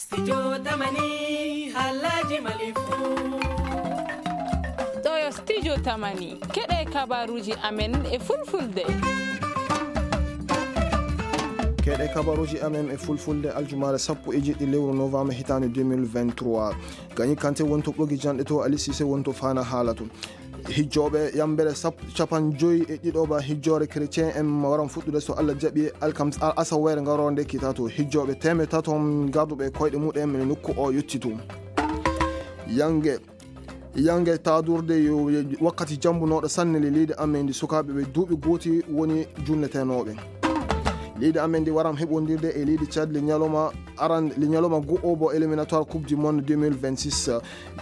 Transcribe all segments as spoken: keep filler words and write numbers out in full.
Studio Tamani, halaji malifu. Ɗo yo Studio Tamani, keɗe kabaruji amen e fulfulde. Keɗe kabaruji amen e fulfulde, aljumaare sappo e jeɗɗi lewru novembre hitaande deux mille vingt-trois. Gagné Kanté wonto ɓogi janɗe to, Ali Cissé wonto fana haala to. Hijjooɓe yambere sap-, capanɗe joyi e ɗiɗo ba hijjoore chrétien en waran fuɗɗude so Allah jaɓi alkam-, al-, asaweere ngaroore nde kita to. Hijjooɓe teemeɗɗe tato garduɓe koyɗe muɗen e nokku o yotti to. Yange, yange taadurde yo wakkati jambunooɗo sanne le leydi amen ndi sukaaɓe ɓe duuɓi gooti woni junnetenooɓe. Leydi amen ndi waran heɓondirde e leydi Tchad le ñalawma aran, le ñalawma go'o bo éliminatoire Coupe du Monde deux mille vingt-six.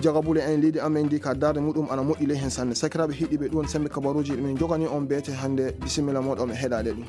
Jagabule en leydi amen ndi ka darde muɗum ana moƴƴi ley hen sanne. Sakiraaɓe heɗiiɓe, ɗum woni sembe kabaruuji ɗi min jogani on beete hannde. Bisimilla mooɗon e heɗaade ɗum.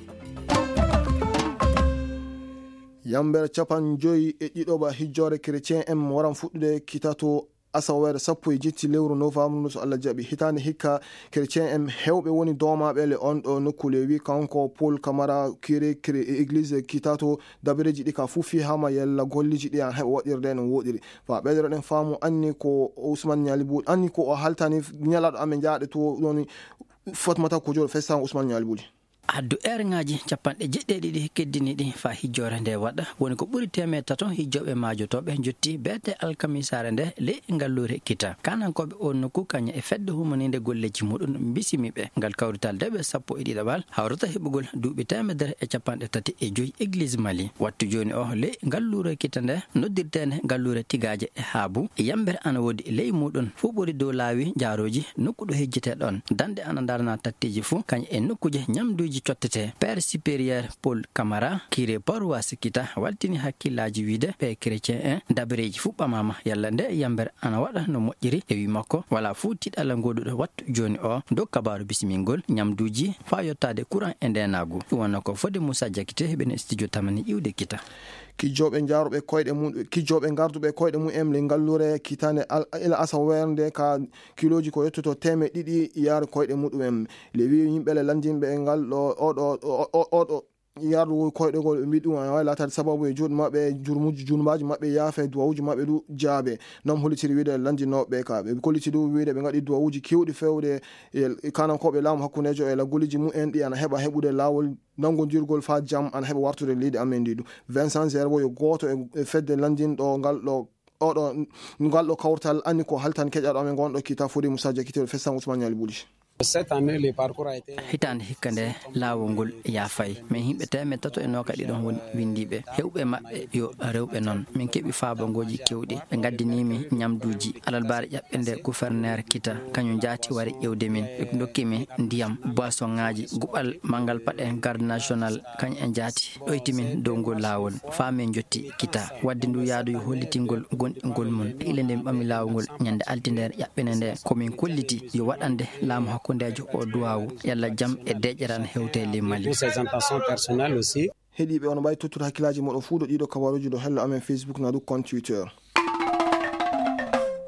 Yambere capanɗe joyi e ɗiɗo ba hijjoore chrétien en waran fuɗɗude kita to asaweere sappo e jetti lewru novembre ndu so Allah jaɓi. Hitaande hikka chrétien en heewɓe woni doomaaɓe le on ɗo nokku le wi kanko Paul Camara, curé, curé e église kita to dabareeji ɗi ka fuu fii hama yalla golleeji ɗi an heɓa waɗirde no woɗiri. Fa ɓeydoɗen faamu anni ko Ousmane Niali Bouly, anni ko o haltani ñalaɗo amen jaaɗe to ɗon Fatmata Kojo fesan Ousmane Niali Bouly. Addu eerŋaaji capanɗe jeɗɗi e ɗiɗi keddini ɗi fa hijjoore nde waɗa, woni ko ɓuri teemeɗɗe tato hijjooɓe maajotooɓe jotti beete alkamisaare nde ley ngalluure kita. Kanankooɓe o nokku kañum e fedde humaninde golleeji muɗum bisimi ɓe. Ngal kawrital deɓe sappo e ɗiɗaɓal hawrata heɓugol duuɓi teemedere e capanɗe tati e joyi église Mali. Wattu jooni o ley ngalluure kita nde noddirteende ngalluure tigaaje e haabu e yambere ana woodi ley muɗum fuu ɓuri dow laawi jaarooji nokku ɗo hejjete ɗon. Dande ana darna tatteeji fuu, kañ e nokkuuje ñamduuji cottete. Père supérieur Paul Camara, curé paroisse kita, waltini hakkillaaji wiide ɓe chrétien en, dabareeji fuu ɓamaama, yalla nde yambere ana waɗa no moƴƴiri. E wi makko, wala fuu tiɗalla ngoduɗo wattu jooni o, dow kabaaru bisimingol ñamduuji faa yottaade courant e ndeenaagu. Ɗum wonno ko fodde Moussa Diakité, heɓen e studio Tamani iwde kita. Kijjooɓe jaaruɓe koyɗe mum, kijjooɓe garduɓe koyɗe mum en le ngalluure kitaande al-, ila asaweere nde ka kilooji ko yettoto teemeɗɗe ɗiɗi yaari koyɗe muɗum en. Le wi yimɓe le landinɓe e ngal ɗo, oɗo, o-, o-, oɗo yardu koyɗe gol, ɓe mbi ɗum ana waawi laataade sababu e juuɗe maɓɓe, jurmuji, junumbaaji maɓɓe yaafe, duwawuji maɓɓe du jaabe. Noon hollitiri wiide landinooɓe ka. Ɓe kolliti du wiide ɓe ngaɗi duwawuji kewɗi fewde e, e kanankooɓe laamu hakkundeejo e laggoliji mum en ɗi ana heɓa heɓude laawol nanngondirgol faa jam ana heɓa wartude leydi amen ndi du. Vincent Zerbo yo gooto e, e fedde lanndinɗo ngal ɗo, oɗo, ngal ɗo kawtal anni ko haltan keƴaɗo amen ngonɗo kita fodi Moussa Diakité fesan Ousmane Niali Bouly. Cette année, le parcours a été Hitaande hikka nde laawol ngol yaafay. Min yimɓe teemeɗɗe tato e noogaɗi ɗon woni winndiiɓe. Heewɓe maɓɓe yo rewɓe noon. Min keɓi faabangooji keewɗi. Ɓe ngaddinii mi ñamduuji. Alarbaare ƴaɓɓe nde gouverneur kita, kañum jaati wari ƴeewde min. Ɓe ndokki mi ndiyam, boisonŋaaji, guɓal manngal paɗe garde national, kañum en jaati. Ɗoyti min dow ngol laawol, faa min njotti kita. Waɗde ndu yaadu yo hollitingol gonɗingol mum. Ile nde mi ɓami laawol ngol ñande altine nder ƴaɓɓere nde, ko min kolliti yo waɗande laamu hakkundeejo o duwaawu, yalla jam e deeƴere ana hewte ley Mali. Pour ses intentions personnelles aussi. Heɗiiɓe, on mbaawi tottude hakkillaaji mooɗon fuu ɗo ɗiɗo kabaruuji ɗo hello amen Facebook naa du compte Twitter.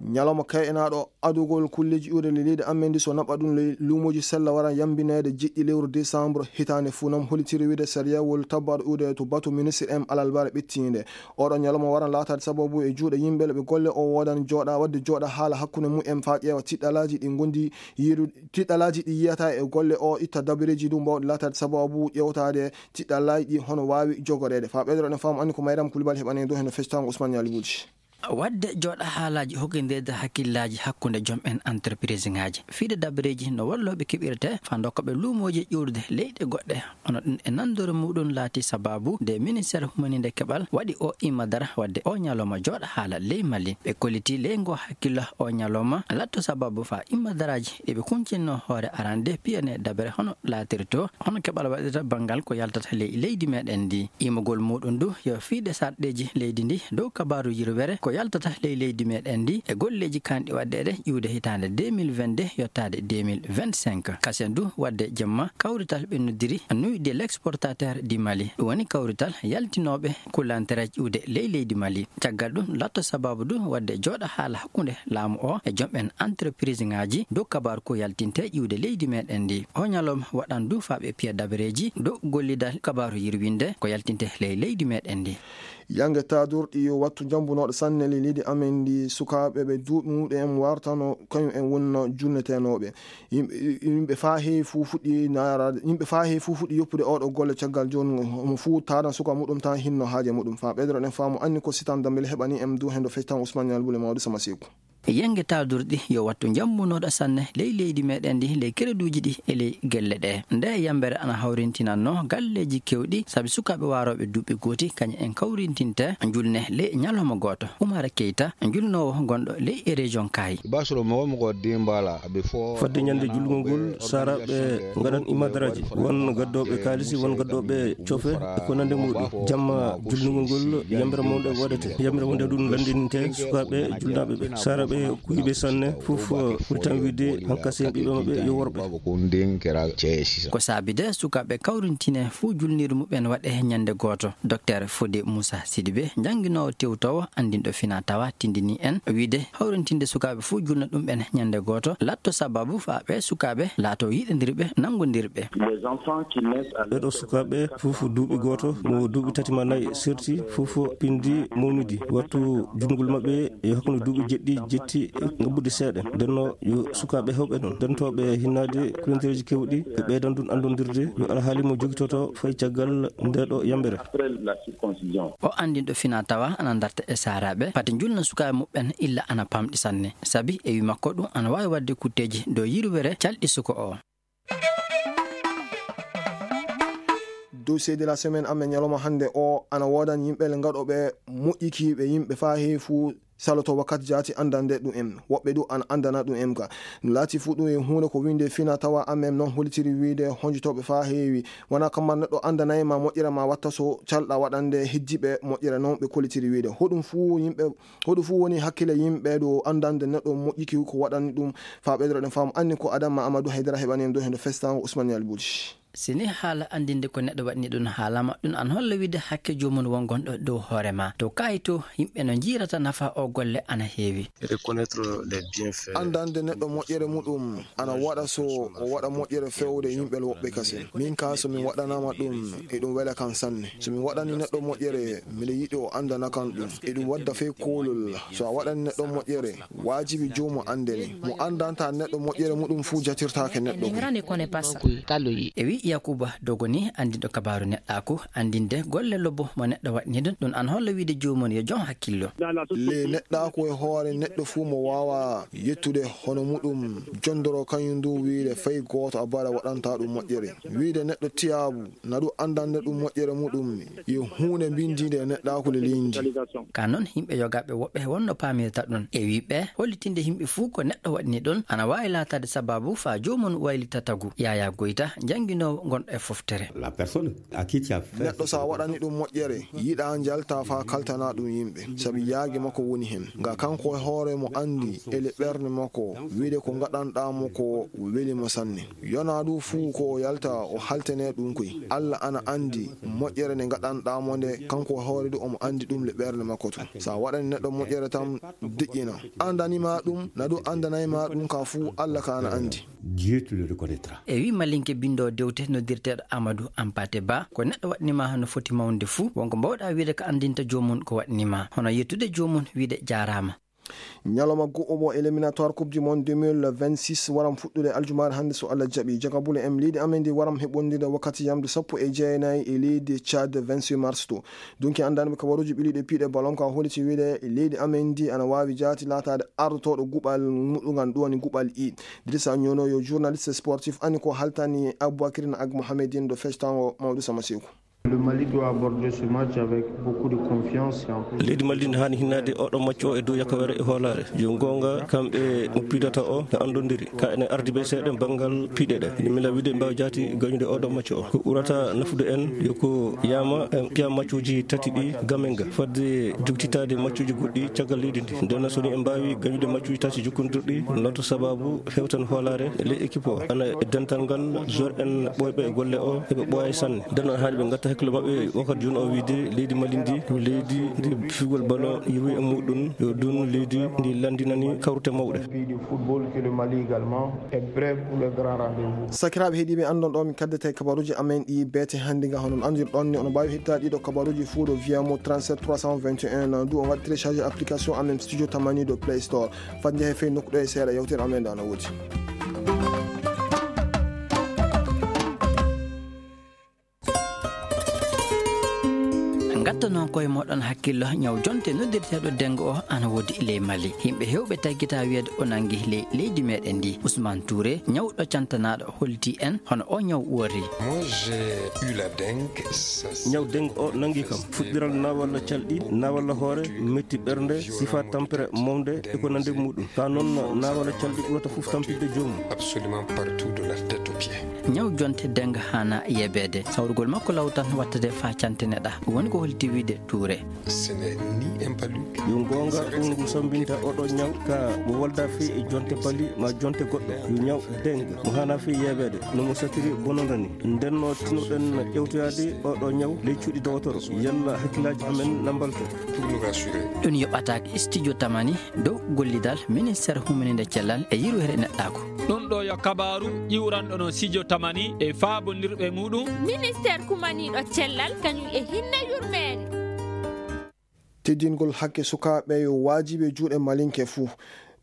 Ñalawma kayɗinaaɗo adugol kulleeji iwde le leydi amen ndi, so naɓa ɗum le luumooji sella waran yambineede jeɗɗi lewru décembre hitaande fuu. Noon hollitiri wiide sariyawol tabbaaɗo iwde to batu ministre en alarbaare ɓettiinde. Oɗo ñalawma waran laataade sababu e juuɗe yimɓe le ɓe golle o woodan jooɗa, waɗde jooɗa haala hakkunde mum en faa ƴeewa tiɗɗalaaji ɗi ngondi yiiru-, tiɗɗalaaji ɗi yiyata e golle o, itta dabareeji du mbawɗi laataade sababu ƴeewtaade tiɗɗalaaji ɗi hono waawi jogoreede. Faa ɓeydoɗen faamu anni ko Mayriyam Kulibali heɓani en dow heno fectaango Ousmane Niali Bouly. Waɗde jooɗa haalaaji hokkindirde hakkillaaji hakkunde joom en entreprise ŋaaji. Fiide dabareeji no wallooɓe keɓirte faa ndokka ɓe luumooji ƴuurde leyɗe goɗɗe. Hono ɗum e nanndore muɗum laati sababu nde ministeer humaniinde keɓal waɗi o imma dara waɗde o ñalawma jooɗa haala ley Mali. Ɓe kolliti ley ngo hakkillo o ñalawma latto sababu faa imma daraaji ɗi ɓe kuncinnoo hoore arande piyane dabere hono laatirto, hono keɓal waɗirta banngal ko yaltata ley leydi meɗen ndi. Imagol muɗum du yo fiide sarɗeeji leydi ndi dow kabaaru yirwere ko yaltata ley leydi meɗen ndi e golleeji kanɗi waɗdeede ƴiwde hitaande deux mille vingt-deux yottaade deux mille vingt-cinq. Kasen du waɗde jemma kawrital ɓe noddiri Nuit de l'exportateur du Mali. Ɗum woni kawrital yaltinooɓe kulantereeji ƴiwde ley leydi Mali. Caggal ɗum latto sababu du waɗde jooɗa haala hakkunde laamu o e jom'en entreprise ŋaaji dow kabaaru ko yaltinte ƴiwde leydi meɗen ndi. O ñalawma waɗan du faaɓe piya dabareeji dow gollidal kabaaru yirwinde ko yaltinte ley leydi meɗen ndi. Yange taadorɗi yo wattu njambunooɗo sanne ley leydi amen ndi sukaaɓe ɓe duuɓi muɗum en wartano kañum en wonno julnetenooɓe. Yimɓe, yimɓe faa heewi fuu fuɗɗi naaraade, yimɓe faa heewi fuu fuɗɗi yoppude oɗo golle caggal jooni mo fuu taadan suka muɗum tan hinno haaje muɗum. Faa ɓeydoɗen faamu anni ko sitan dambel heɓani en du hendo fectan Usman Ñal Bule Mawɗo Sama Seeku. Yenge taadorɗi yo wattu njambunooɗo sanne ley leydi meɗen ndi, ley kereduuji ɗi e ley gelle ɗe. Nde yambere ana hawrintinannoo galleeji kewɗi, sabi sukaaɓe waarooɓe duuɓi gooti, kañum en kawrintinte julne ley ñalawma gooto. Umar Keita, julnoowo gonɗo ley e région Kayi. Basro mo wonmo ko dimbala, before fodde ñande julgol ngol, saaraaɓe ngaɗan imadaraaji. Won gaddooɓe kaalisi, won gaddooɓe cofe, e ko nande muɗum. Jamma julnugol ngol, yambere mawɗe waɗete. Yambere wonde ɗum lanndininte sukaaɓe julnaaɓe ɓe. Saaraaɓe kuyɓe sanne, fof ɓuri tan wiide hankasen ɓiɓɓe maɓɓe yo worɓe. Ko ndin kera ceesi. Ko saabi de sukaaɓe kawrintine fuu julnir muɓɓen waɗe ñande gooto. Docteur Fodé Moussa Sidibé, jannginoowo tewtoowo anndinɗo fina tawa tindini en wiide hawrintinde sukaaɓe fuu julna ɗum ɓen ñande gooto latto sababu faa ɓe sukaaɓe laato yiɗondirɓe, nanngondirɓe. Les enfants qui naissent à ɓeɗo sukaaɓe fof duuɓi gooto, mo duuɓi tati ma nayi serti, fof pindi mawnidi. Wattu judgol maɓɓe e hakkunde duuɓi jeɗɗi jetti e ngabbude seeɗa. Ndenno yo sukaaɓe hewɓe ɗon, dentooɓe hinnaade kulantereeji kewɗi, ɓe ɓeydan ɗum anndondirde yo alhaali mo jogitoto fay caggal ndeɗo yambere. Après la circoncision. O anndinɗo fina tawa ana darta e saaraaɓe, pati njulna sukaaɓe muɓɓen illa ana pamɗi sanne. Sabi e wi makko ɗum ana waawi waɗde kutteeji dow yirwere calɗi suko o. Dossier de la semaine amen ñalawma hannde o ana woodan yimɓe le ngaɗoɓe moƴƴikiiɓe yimɓe faa heewi fuu saloto wakkati jaati anndande ɗum en. Woɓɓe du ana anndana ɗum en ka. Ɗum laati fuu ɗum e huunde ko wiinde fina tawa amen noon hollitiri wiide honjotooɓe faa heewi. Wona kamma neɗɗo anndanay ma moƴƴere ma watta so calɗa waɗande heddiiɓe moƴƴere noon ɓe kollitiri wiide. Hoɗum fuu yimɓe, hoɗum fuu woni hakkille yimɓe ɗo anndande neɗɗo moƴƴiki ko waɗani ɗum faa ɓeydoɗen faamu anni ko Adama Amadou Haydara heɓani en ɗo heno festango Ousmane Yali Bouti. Si ni haala anndinde ko neɗɗo waɗni ɗum haalama, ɗum an holla wiide hakke joomum won gonɗo dow hoore ma. To kaayi to, yimɓe no njiirata nafa o golle ana heewi. Reconnaître les bienfaits. Anndande neɗɗo moƴƴere muɗum ana waɗa so o waɗa moƴƴere fewde yimɓe woɓɓe kasen. Min ka so mi waɗanama ɗum, eɗum wela kan sanne. So mi waɗani neɗɗo moƴƴere, miɗo yiɗi o anndana kan ɗum. Eɗum wadda fey koolol. So a waɗani neɗɗo moƴƴere, waajibi joomum anndene. Mo anndanta neɗɗo moƴƴere muɗum fuu jatirtaake neɗɗo. Ko e wi Yakuba Dogo ni anndinɗo kabaaru neɗɗaaku, anndinde golle lobbo mo neɗɗo waɗni ɗum, ɗum an holla wiide joomum yo jom hakkillo. Le neɗɗaaku e hoore neɗɗo fuu mo waawa yettude hono muɗum jondoro kañum ndu wiide fay gooto a bara waɗanta ɗum moƴƴere. Wiide neɗɗo tiyaabu na ɗum anndande ɗum moƴƴere muɗum yo huunde mbindiinde e neɗɗaaku le leydi. Ka noon, yimɓe yogaaɓe woɓɓe wonno paamirta ɗum. E wi ɓe, hollitinde yimɓe fuu ko neɗɗo waɗni ɗum, ana waawi laataade sababu faa joomum waylita tagu. Yaya Goyta, jannginoowo gonɗo e foftere. La personne à qui tu as fait neɗɗo so a waɗani ɗum moƴƴere, yiɗa njalta faa kaltana ɗum yimɓe, sabi yaagi makko woni heen. Nga kanko e hoore mo anndi e le ɓernde makko, wiide ko ngaɗanɗaa mo ko weli mo sanne. Yona du fuu ko o yalta o haltene ɗum koy. Alla ana anndi moƴƴere nde ngaɗanɗaa mo nde, kanko hoore du omo anndi ɗum le ɓernde makko tun. Sa waɗani neɗɗo moƴƴere tan deƴƴina. Andani ma ɗum, na du andanay ma ɗum ka fuu Alla ka ana anndi. Dieu te le reconnaîtra. E wi Malinke binndo dewte noddirteeɗo Amadou Ampate Ba, ko neɗɗo waɗni ma no foti mawnde fuu, wonko mbawɗa wiide ko anndinta joomum ko waɗni ma. Hono yettude joomum wiide jaaraama. Ñalawma go'omo éliminatoire Coupe du Monde deux mille vingt-six waram fuɗɗude aljumaare hannde so Allah jaɓi. Jagabule em leydi amen ndi waram heɓondire wakkati yamdu sappo e jeenayi e leydi Tchad vingt-huit mars to. Dunki anndanɓe kabaruuji ɓiliiɗe piiɗe ballon ka holliti wiide leydi amen ndi ana waawi jaati laataade ardotooɗo guɓal muɗugan ɗum woni guɓal I. Dirisa Ñono yo journaliste sportif ani ko haltani Aboubacry Ag Mohamed en ɗo fectango Mawɗo Sama Seeku. Le Mali doit aborder ce match avec beaucoup de confiance et en plus Leydi Mali ne haani hinnaade oɗo macco o e dow yakawere e hoolaare. Yo goonga, kamɓe mo piidata o no anndondiri. Ka ene ardi ɓe seeɗa banngal piiɗe ɗe. Ene mila wiide mbaawa jaati gañude oɗo macco o. Ko ɓurata nafude en yo ko yama en piya maccuuji tati ɗi gamen ga. Fadde jogtitaade maccuuji goɗɗi caggal leydi ndi. Nden so ni en mbaawi gañude maccuuji tati jokkondirɗi, noon to sababu hewtan hoolaare e ley équipe o. Ana e dental ngal, joueur en ɓooyɓe e golle o, heɓe ɓooya sanne. Nden noon haani ɓe ngatta hakkille maɓɓe wakkati jooni o wiide leydi Mali ndi, ko leydi ndi figol ballon yewi e muɗum, yo ɗum leydi ndi lanndinani kawrute mawɗe. Pays de football que le Mali également est prêt pour le grand rendez-vous. Sakiraaɓe heɗiiɓe, anndon ɗo min kaddete kabaruuji amen ɗi beete hannde nga. Hono on anndirɗon ni, ono mbaawi heɗitaade ɗiɗo kabaruuji fuu ɗo via mo trente-sept trois cent vingt et un, du on waɗi télécharger application amen Studio Tamani ɗo Play Store. Fat njahe fey nokku ɗo e seeɗa yewtere amen nde ana woodi. Ngattanoo koye mooɗon hakkillo ñaw jonte noddirteeɗo dengue o ana woodi ley Mali. Yimɓe heewɓe taggita wiyeede o nangi ley leydi meɗen ndi. Ousmane Touré, ñawɗo cantanaaɗo, holti en hono o ñaw uwori. Moi, j'ai eu la dengue. Ñaw dengue o nangi kam. Fuɗɗiral nawalla calɗi, nawalla hoore, metti ɓernde, sifa tampere mawde e ko nandi muɗum. Ka noon nawalla calɗi ɓurata fof tampinde joomum. Absolument partout de la tête aux pieds. Ñaw jonte dengue haana yebeede. Sawrugol makko law tan wattade faa canteneɗa. Woni ko holti wiide Touré. Ce n'est ni un palu. Yo goonga ɗum ngu sambinta oɗo ñaw ka mo walda fii e jonte pali ma jonte goɗɗo. Yo ñaw dengue mo haana fii yebeede no mo satiri bononda ni. Nden no tinoɗen ƴewtoyaade oɗo ñaw ley cuuɗi dowotoro. Yalla hakkillaaji amen na mbalto. Pour nous rassurer. Ɗum yoɓataake Studio Tamani dow gollidal ministeer humininde cellal e yirwere neɗɗaaku. Ɗum ɗo yo kabaaru ƴiwranɗo no Studio Tamani e faabondirɓe muɗum. Ministeer kumaniiɗo cellal kañum e hinne yurmeende. Teddingol hakke sukaaɓe yo waajibi e juuɗe Malinke fuu.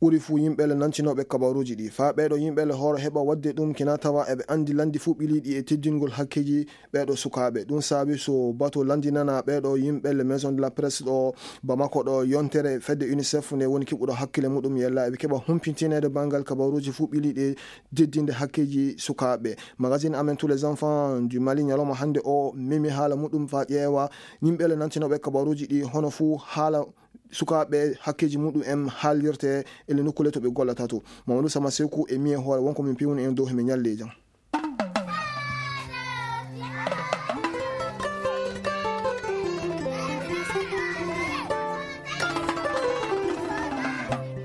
Ɓuri fuu yimɓe le nantinooɓe kabaruuji ɗi. Faa ɓeeɗo yimɓe le hooro heɓa waɗde ɗum kina tawa eɓe anndi lanndi fuu ɓiliiɗi e teddingol hakkeeji ɓeeɗo sukaaɓe. Ɗum saabi so bato lanndinana ɓeeɗo yimɓe le Maison de la Presse ɗo Bamako ɗo yontere fedde UNICEF nde woni keɓuɗo hakkille muɗum yella eɓe keɓa humpintineede banngal kabaruuji fuu ɓiliiɗi e teddinde hakkeeji sukaaɓe. Magazine amen Tous les enfants du Mali ñalawma hannde o memi haala muɗum faa ƴeewa yimɓe le nantinooɓe kabaruuji ɗi hono fuu haala sukaaɓe hakkeeji muɗum en haalirte e le nokkuule to ɓe gollata to. Mamadou Sama Seku e mi e hoore wonko min pewni en dow he min ñalli e jam.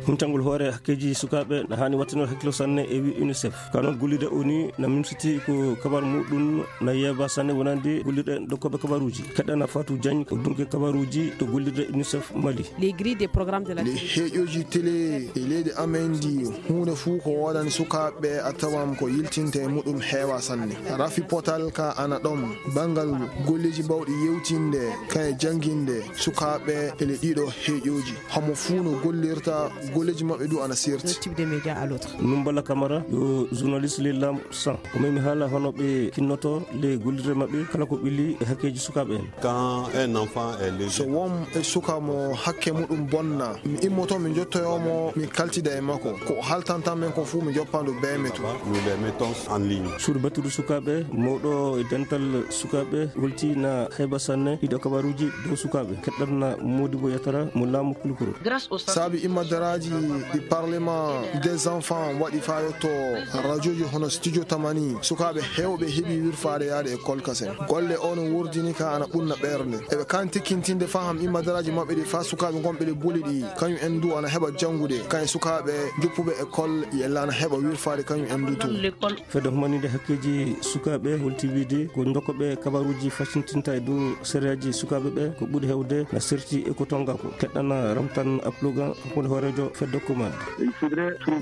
Huntangol hoore hakkeeji sukaaɓe na haani wattinoor hakkilo sanne e wi UNICEF. Ka noon gollirde o ni na mimsiti ko kabar muɗum na yeeba sanne wonande gollirɗe dokkooɓe kabaruuji. Keɗɗana Fatou Diagne ko dunke kabaruuji to gollirde UNICEF Mali. Les grilles des programmes de la Le heeƴooji télé e leydi amen ndi huunde fuu ko woodani sukaaɓe a tawan ko yiltinte e muɗum heewa sanne. Rafi potal ka ana ɗon banngal golleeji bawɗi yewtinde kan e jannginde sukaaɓe e le ɗiɗo heeƴooji. Hamo fuu no gollirta golleeji maɓɓe du ana serti. Type de média à l'autre. Numbala Camara yo journaliste le lam san. Ko memi haala hono ɓe kinnoto le gollirde maɓɓe kala ko ɓili e hakkeeji sukaaɓe en. Quand un enfant est léger. So won e suka mo hakke muɗum bonna, mi immoto mi jottoyo mo mi kaltida e makko. Ko o haltanta men ko fuu mi joppandu bee metu. Nous les mettons en ligne. Suudu battudu sukaaɓe mawɗo e dental sukaaɓe holti na heɓa sanne ɗiɗo kabaruuji dow sukaaɓe. Keɗɗatna Modibo Yatara mo laamu Kulukuro. Saabi immadaraaji ɗi Parlement des enfants waɗi faa yotto rajooji hono Studio Tamani, sukaaɓe heewɓe heɓi wirfaade yaade e kolkasen. Golle o no wurdini ka ana ɓunna ɓernde. Eɓe kan tikkintinde faham immadaraaji maɓɓe ɗi faa sukaaɓe gonɓe ɗe buli ɗi, kañum en du ana heɓa janngude, kañum sukaaɓe joppuɓe école yella ana heɓa wirfaade kañum en du tun. Fedde humaninde hakkeeji sukaaɓe holti wiide ko jokkoɓe kabaruuji fasintinta e dow sariyaaji sukaaɓe ɓe ko ɓuri heewde na serti e ko tonga ko. Keɗɗana Ramtan Aplogan hakkunde hooreejo fedde kumaade.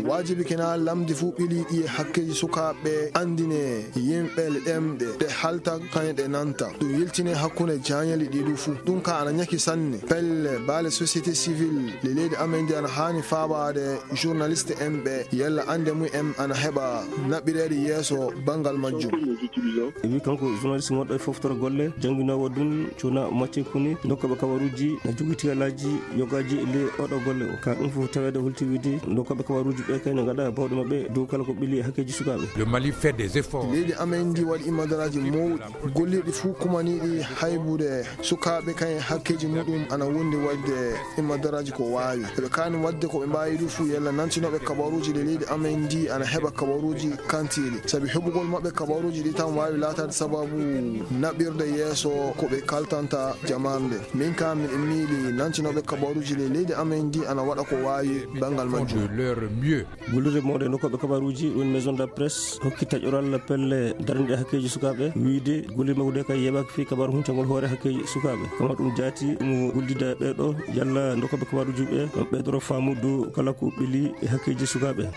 Waajibi kena lamdi fuu ɓili ɗi e hakkeeji sukaaɓe anndine yimɓe le ɗemɗe ɗe halta kañe ɗe nanta. Ɗum yiltine hakkunde jaañeli ɗi du fuu. Ɗum ka ana ñaki sanne. Pelle baale société civile le leydi amen ndi ana haani faabaade journaliste en ɓe yalla annde mum en ana heɓa naɓɓireede yeeso banngal majjum. E wi kanko journaliste gonɗo e foftoro golle, jannginoowo ɗum cuna macce kuni, dokkooɓe kabaruuji na jogiti yalaaji yogaaji e ley oɗo golle o. Ka ɗum fof Taweede holti wiide nokkoɓe kabaruuji ɓe kay ne ngaɗa bawɗe maɓɓe dow kala ko ɓili e hakkeeji sukaaɓe. Le Mali fait des efforts. Leydi amen ndi waɗi immadaraaji mawɗi, gollirɗi fuu kumaniiɗi haybude sukaaɓe kay hakkeeji muɗum ana wondi waɗde immadaraaji ko waawi. Eɓe kaani waɗde ko ɓe mbaawi ɗum fuu yalla nantinooɓe kabaruuji ɗe leydi amen ndi ana heɓa kabaruuji kantiiɗi. Sabi heɓugol maɓɓe kabaruuji ɗi tan waawi laataade sababu naɓirde yeeso ko ɓe kaltanta jamaanu nde. Min ka miɗo miili nantinooɓe kabaruuji ɗe leydi amen ndi ana waɗa ko waawi banngal majjum. De leur mieux. Gollirde mawɗe nokkoɓe kabaruuji woni maison de la presse hokki taƴoral pelle daraniiɗe hakkeeji sukaaɓe wiide gollirde makko nde kay yeɓaaki fii kabaru huntagol hoore hakkeeji sukaaɓe. Kama ɗum jaati mo gollida ɓeeɗo yalla nokkoɓe kabaruuji ɓe on ɓeydoro faamu dow kala ko ɓili e hakkeeji sukaaɓe.